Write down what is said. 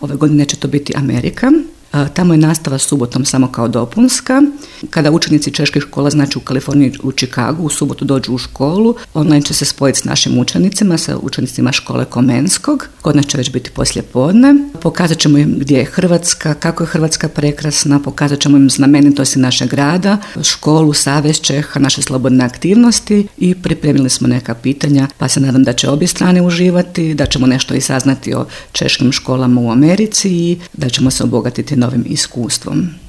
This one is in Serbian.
ove godine će to biti Amerika. Tamo je nastava subotom samo kao dopunska. Kada učenici čeških škola, znači u Kaliforniji, u Chicagu, u subotu dođu u školu, online će se spojiti s našim učenicima, sa učenicima škole Komenskog. Kod nas će već biti poslijepodne. Pokazat ćemo im gdje je Hrvatska, kako je Hrvatska prekrasna, pokazat ćemo im znamenitosti našeg grada, školu, Savez Čeha, naše slobodne aktivnosti i pripremili smo neka pitanja, pa se nadam da će obje strane uživati, da ćemo nešto i saznati o češkim školama u Americi i da ćemo se obogatiti novim iskustvom.